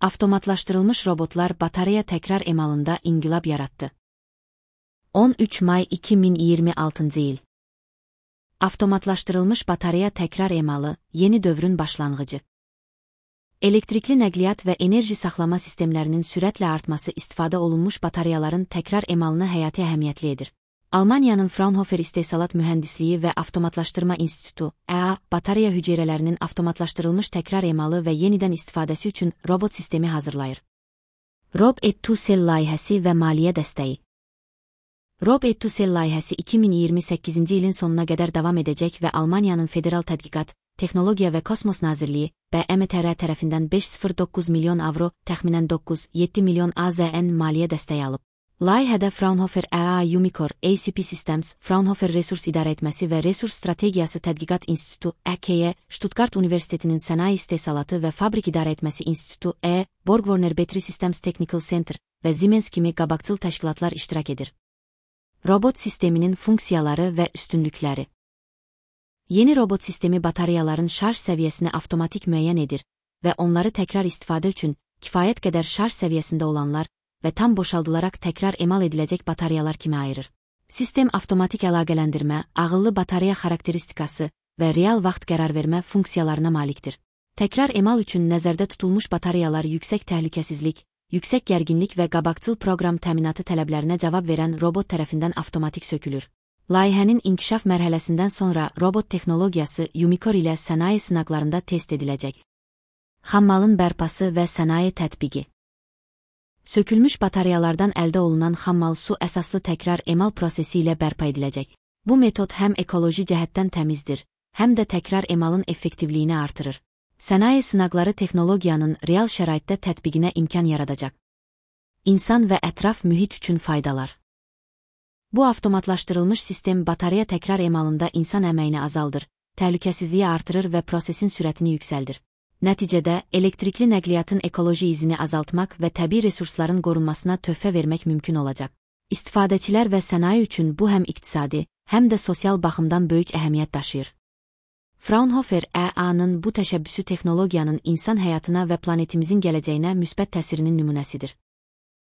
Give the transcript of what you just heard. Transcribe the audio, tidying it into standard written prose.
Avtomatlaşdırılmış robotlar batareya təkrar emalında inqilab yarattı. 13 may 2026 il. Avtomatlaşdırılmış batareya təkrar emalı, yeni dövrün başlanğıcı. Elektrikli nəqliyyat və enerji saxlama sistemlərinin sürətlə artması istifadə olunmuş batareyaların təkrar emalını həyati əhəmiyyətli edir. Almaniyanın Fraunhofer İstehsalat Mühəndisliyi və Avtomatlaşdırma İnstitutu, EA, batareya hüceyrələrinin avtomatlaşdırılmış təkrar emalı və yenidən istifadəsi üçün robot sistemi hazırlayır. Rob-et-to-Cell layihəsi və maliyyə dəstəyi. Rob-et-to-Cell layihəsi 2028-ci ilin sonuna qədər davam edəcək və Almaniyanın Federal Tədqiqat, Texnologiya və Kosmos Nazirliyi, BMTR tərəfindən 509 milyon avro, təxminən 9-7 milyon AZN maliyyə dəstəyi alıb. Layihədə Fraunhofer EA Umicore, ACP Systems, Fraunhofer Resurs İdarəetməsi və Resurs Strategiyası Tədqiqat İnstitutu, EKE, Stuttgart Universitetinin Sənaye İstehsalatı və Fabrik İdarəetməsi İnstitutu, Borg-Warner Battery Systems Technical Center və Siemens kimi qabaqcıl təşkilatlar iştirak edir. Robot sisteminin funksiyaları və üstünlükləri. Yeni robot sistemi batareyaların şarj səviyyəsini avtomatik müəyyən edir və onları təkrar istifadə üçün kifayət qədər şarj səviyyəsində olanlar və tam boşaldılaraq təkrar emal ediləcək batareyalar kimi ayırır. Sistem avtomatik əlaqələndirmə, ağıllı batareya xarakteristikası və real vaxt qərar vermə funksiyalarına malikdir. Təkrar emal üçün nəzərdə tutulmuş batareyalar yüksək təhlükəsizlik, yüksək gərginlik və qabaqcıl proqram təminatı tələblərinə cavab verən robot tərəfindən avtomatik sökülür. Layihənin inkişaf mərhələsindən sonra robot texnologiyası Umicore ilə sənaye sınaqlarında test ediləcək. Xammalın bərpası və sənaye tətbiqi. Sökülmüş batareyalardan əldə olunan xammal su əsaslı təkrar emal prosesi ilə bərpa ediləcək. Bu metod həm ekoloji cəhətdən təmizdir, həm də təkrar emalın effektivliyini artırır. Sənaye sınaqları texnologiyanın real şəraitdə tətbiqinə imkan yaradacaq. İnsan və ətraf mühit üçün faydalar. Bu avtomatlaşdırılmış sistem batareya təkrar emalında insan əməyini azaldır, təhlükəsizliyi artırır və prosesin sürətini yüksəldir. Nəticədə, elektrikli nəqliyyatın ekoloji izini azaltmaq və təbii resursların qorunmasına töhfə vermək mümkün olacaq. İstifadəçilər və sənaye üçün bu həm iqtisadi, həm də sosial baxımdan böyük əhəmiyyət daşıyır. Fraunhofer EA-nın bu təşəbbüsü texnologiyanın insan həyatına və planetimizin gələcəyinə müsbət təsirinin nümunəsidir.